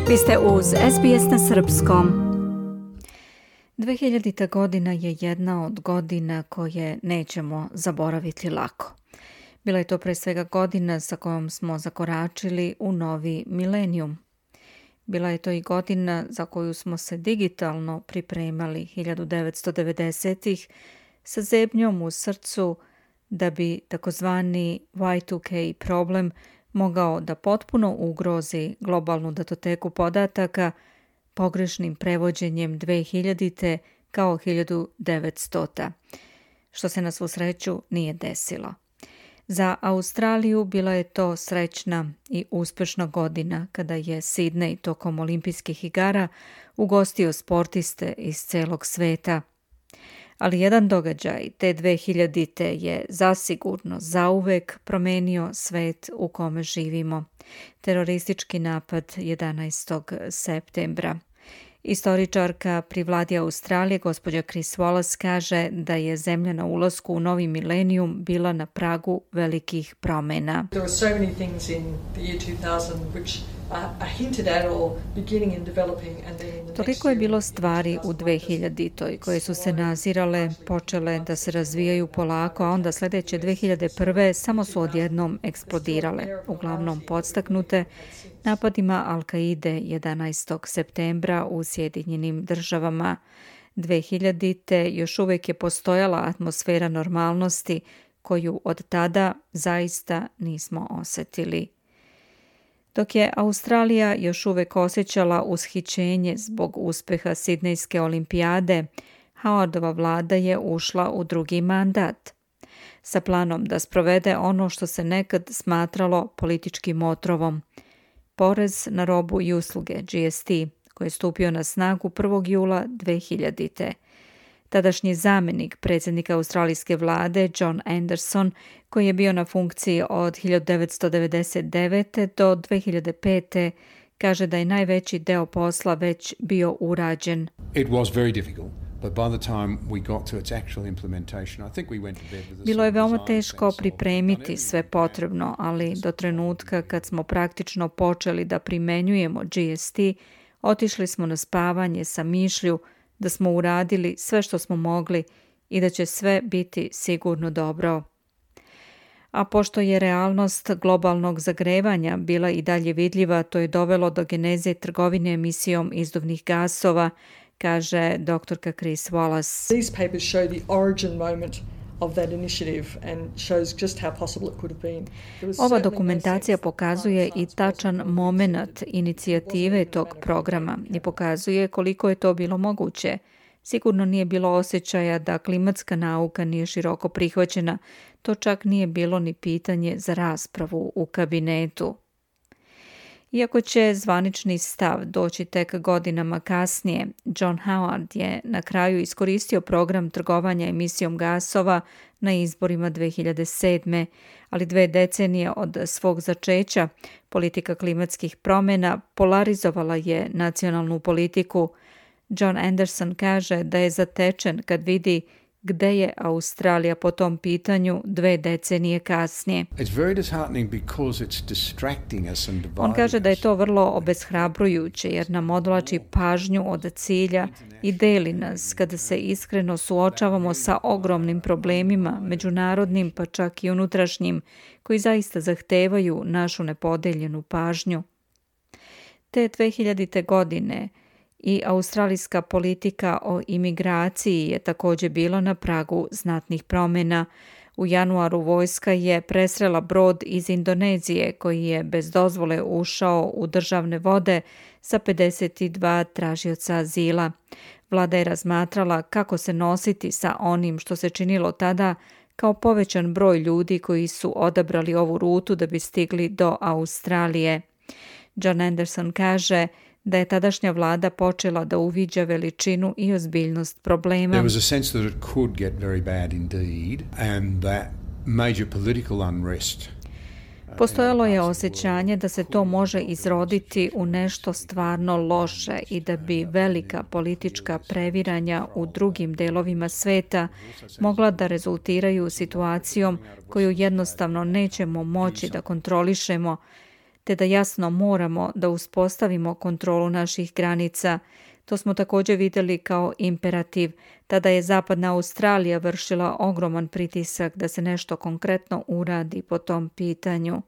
Vi ste uz SBS na srpskom. 2000. godina je jedna od godina koje nećemo zaboraviti lako. Bila je to pre svega godina sa kojom smo zakoračili u novi milenijum. Bila je to i godina za koju smo se digitalno pripremali 1990-ih sa zebnjom u srcu da bi takozvani Y2K problem mogao da potpuno ugrozi globalnu datoteku podataka pogrešnim prevođenjem 2000. kao 1900. Što se na svu sreću nije desilo. Za Australiju bila je to srećna i uspešna godina kada je Sidney tokom olimpijskih igara ugostio sportiste iz celog sveta. Ali jedan događaj te 2000. je zasigurno zauvek promenio svet u kome živimo. Teroristički napad 11. septembra. Istoričarka pri vladi Australije, gospođa Chris Wallace, kaže da je zemlja na ulasku u novi milenijum bila na pragu velikih promena. There were so many things in the year 2000 which are hinted at or beginning in developing and then in the next Toliko je bilo stvari u 2000. koje su se nazirale, počele da se razvijaju polako, a onda sledeće 2001. samo su odjednom eksplodirale, uglavnom podstaknute napadima Al-Kaide 11. septembra u Sjedinjenim državama. 2000. još uvek je postojala atmosfera normalnosti koju od tada zaista nismo osetili. Dok je Australija još uvek osjećala ushićenje zbog uspeha Sidnejske olimpijade, Howardova vlada je ušla u drugi mandat sa planom da sprovede ono što se nekad smatralo političkim otrovom. Porez na robu i usluge, GST, koji je stupio na snagu 1. jula 2000. Tadašnji zamjenik predsjednika australijske vlade John Anderson, koji je bio na funkciji od 1999. do 2005. kaže da je najveći deo posla već bio urađen. It was very difficult. But by the time we got to its actual implementation, I think we went to bed with Bilo je veoma teško pripremiti sve potrebno, ali do trenutka kad smo praktično počeli da primenjujemo GST, otišli smo na spavanje sa mišlju da smo uradili sve što smo mogli i da će sve biti sigurno dobro. A pošto je realnost globalnog zagrevanja bila i dalje vidljiva, to je dovelo do geneze trgovine emisijom izduvnih gasova, kaže doktorka Chris Wallace. These papers show the origin moment of that initiative and shows just how possible it could have been. Ova dokumentacija pokazuje i tačan moment inicijative tog programa i pokazuje koliko je to bilo moguće. Sigurno nije bilo osjećaja da klimatska nauka nije široko prihvaćena, to čak nije bilo ni pitanje za raspravu u kabinetu. Iako će zvanični stav doći tek godinama kasnije, John Howard je na kraju iskoristio program trgovanja emisijom gasova na izborima 2007. Ali 2 decenije od svog začeća politika klimatskih promjena polarizovala je nacionalnu politiku. John Anderson kaže da je zatečen kad vidi gde je Australija po tom pitanju 2 decenije kasnije. On kaže da je to vrlo obeshrabrujuće jer nam odvlači pažnju od cilja i deli nas kada se iskreno suočavamo sa ogromnim problemima, međunarodnim pa čak i unutrašnjim, koji zaista zahtevaju našu nepodeljenu pažnju. Te 2000. godine i australijska politika o imigraciji je također bila na pragu znatnih promjena. U januaru vojska je presrela brod iz Indonezije koji je bez dozvole ušao u državne vode sa 52 tražioca azila. Vlada je razmatrala kako se nositi sa onim što se činilo tada kao povećan broj ljudi koji su odabrali ovu rutu da bi stigli do Australije. John Anderson kaže da je tadašnja vlada počela da uviđa veličinu i ozbiljnost problema. There was a sense that it could get very bad indeed and that major political unrest. Postojalo je osjećanje da se to može izroditi u nešto stvarno loše i da bi velika politička previranja u drugim delovima sveta mogla da rezultiraju situacijom koju jednostavno nećemo moći da kontrolišemo, te da jasno moramo da uspostavimo kontrolu naših granica. To smo također vidjeli kao imperativ. Tada je Zapadna Australija vršila ogroman pritisak da se nešto konkretno uradi po tom pitanju.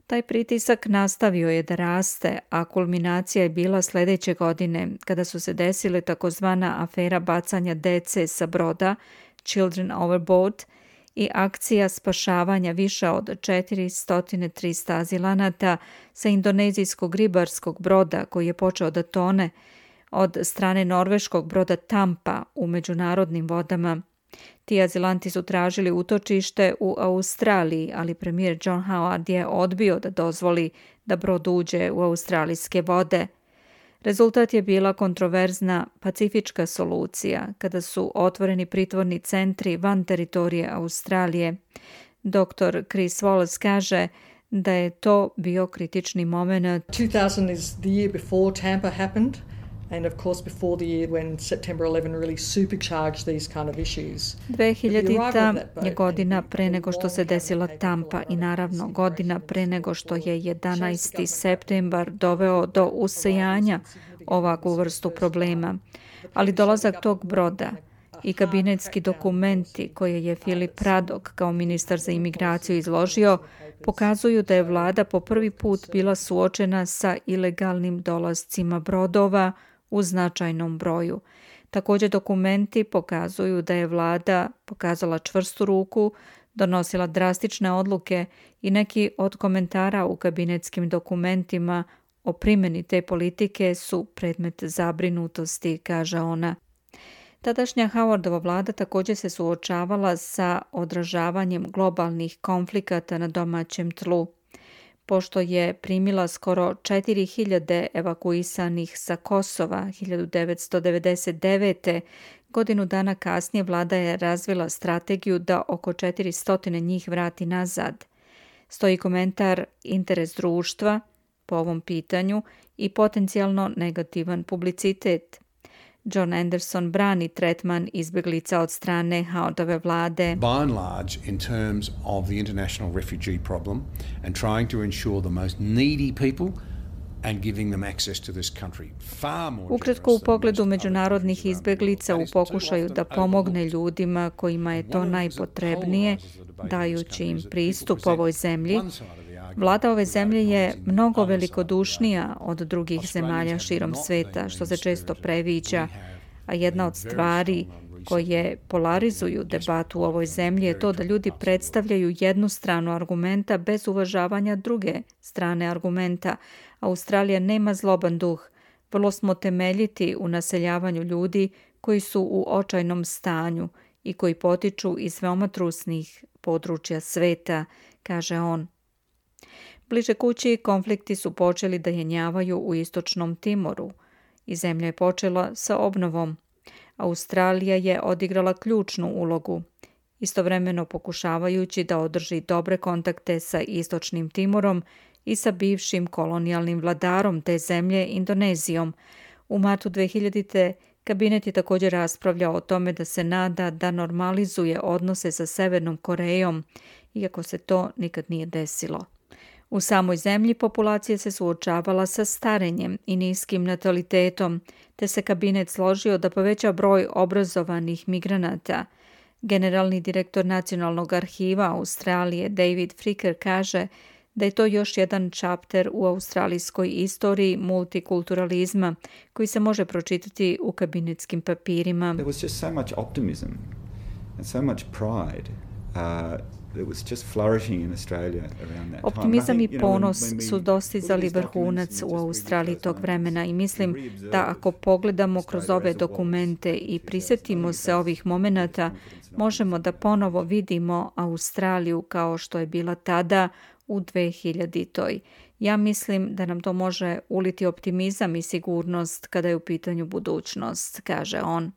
Taj pritisak nastavio je da raste, a kulminacija je bila sljedeće godine, kada su se desile takozvana afera bacanja dece sa broda, Children Overboard, i akcija spašavanja više od 400 azilanata sa indonezijskog ribarskog broda koji je počeo da tone od strane norveškog broda Tampa u međunarodnim vodama. Ti azilanti su tražili utočište u Australiji, ali premijer John Howard je odbio da dozvoli da brod uđe u australijske vode. Rezultat je bila kontroverzna pacifička solucija, kada su otvoreni pritvorni centri van teritorije Australije. Dr. Chris Wallace kaže da je to bio kritični moment. 2000 is the year before Tampa happened. And of course before the year when September 11 really supercharged these kind of issues. 2000. je godina pre nego što se desila Tampa i naravno godina pre nego što je 11. septembar doveo do usijanja ovakvu vrstu problema. Ali dolazak tog broda i kabinetski dokumenti koje je Philip Radok kao ministar za imigraciju izložio pokazuju da je vlada po prvi put bila suočena sa ilegalnim dolascima brodova u značajnom broju. Također dokumenti pokazuju da je vlada pokazala čvrstu ruku, donosila drastične odluke i neki od komentara u kabinetskim dokumentima o primjeni te politike su predmet zabrinutosti, kaže ona. Tadašnja Howardova vlada također se suočavala sa odražavanjem globalnih konflikata na domaćem tlu. Pošto je primila skoro 4000 evakuisanih sa Kosova 1999. godinu dana kasnije vlada je razvila strategiju da oko 400 njih vrati nazad. Stoji komentar interes društva po ovom pitanju i potencijalno negativan publicitet. John Anderson brani tretman izbjeglica od strane Howardove vlade. By and large, in terms of the international refugee problem and trying to ensure the most needy people and giving them access to this country. Ukratko, u pogledu međunarodnih izbjeglica u pokušaju da pomogne ljudima kojima je to najpotrebnije, dajući im pristup ovoj zemlji, vlada ove zemlje je mnogo velikodušnija od drugih zemalja širom sveta, što se često previđa, a jedna od stvari koje polarizuju debatu u ovoj zemlji je to da ljudi predstavljaju jednu stranu argumenta bez uvažavanja druge strane argumenta. Australija nema zloban duh, vrlo smo temeljiti u naseljavanju ljudi koji su u očajnom stanju i koji potiču iz veoma trusnih područja sveta, kaže on. Bliže kući konflikti su počeli da jenjavaju u istočnom Timoru i zemlja je počela sa obnovom. Australija je odigrala ključnu ulogu, istovremeno pokušavajući da održi dobre kontakte sa istočnim Timorom i sa bivšim kolonijalnim vladarom te zemlje Indonezijom. U martu 2000. kabinet je također raspravljao o tome da se nada da normalizuje odnose sa Severnom Korejom, iako se to nikad nije desilo. U samoj zemlji populacija se suočavala sa starenjem i niskim natalitetom, te se kabinet složio da poveća broj obrazovanih migranata. Generalni direktor Nacionalnog arhiva Australije David Fricker kaže da je to još jedan chapter u australijskoj istoriji multikulturalizma koji se može pročitati u kabinetskim papirima. There was just so much optimism and so much pride. It was just flourishing in Australia around that time. Optimizam i ponos su dostizali vrhunac u Australiji tog vremena i mislim da ako pogledamo kroz ove dokumente i prisjetimo se ovih momenata, možemo da ponovo vidimo Australiju kao što je bila tada u 2000. Ja mislim da nam to može uliti optimizam i sigurnost kada je u pitanju budućnost, kaže on.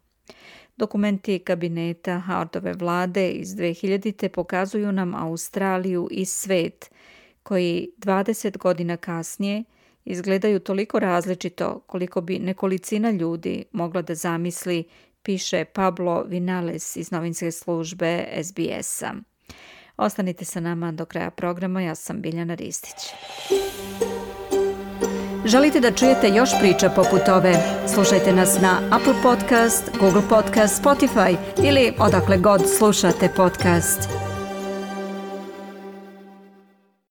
Dokumenti kabineta Howardove vlade iz 2000. pokazuju nam Australiju i svet, koji 20 godina kasnije izgledaju toliko različito koliko bi nekolicina ljudi mogla da zamisli, piše Pablo Vinales iz novinske službe SBS-a. Ostanite sa nama do kraja programa, ja sam Biljana Ristić. Želite da čujete još priča poput ove? Slušajte nas na Apple Podcast, Google Podcast, Spotify ili odakle god slušate podcast.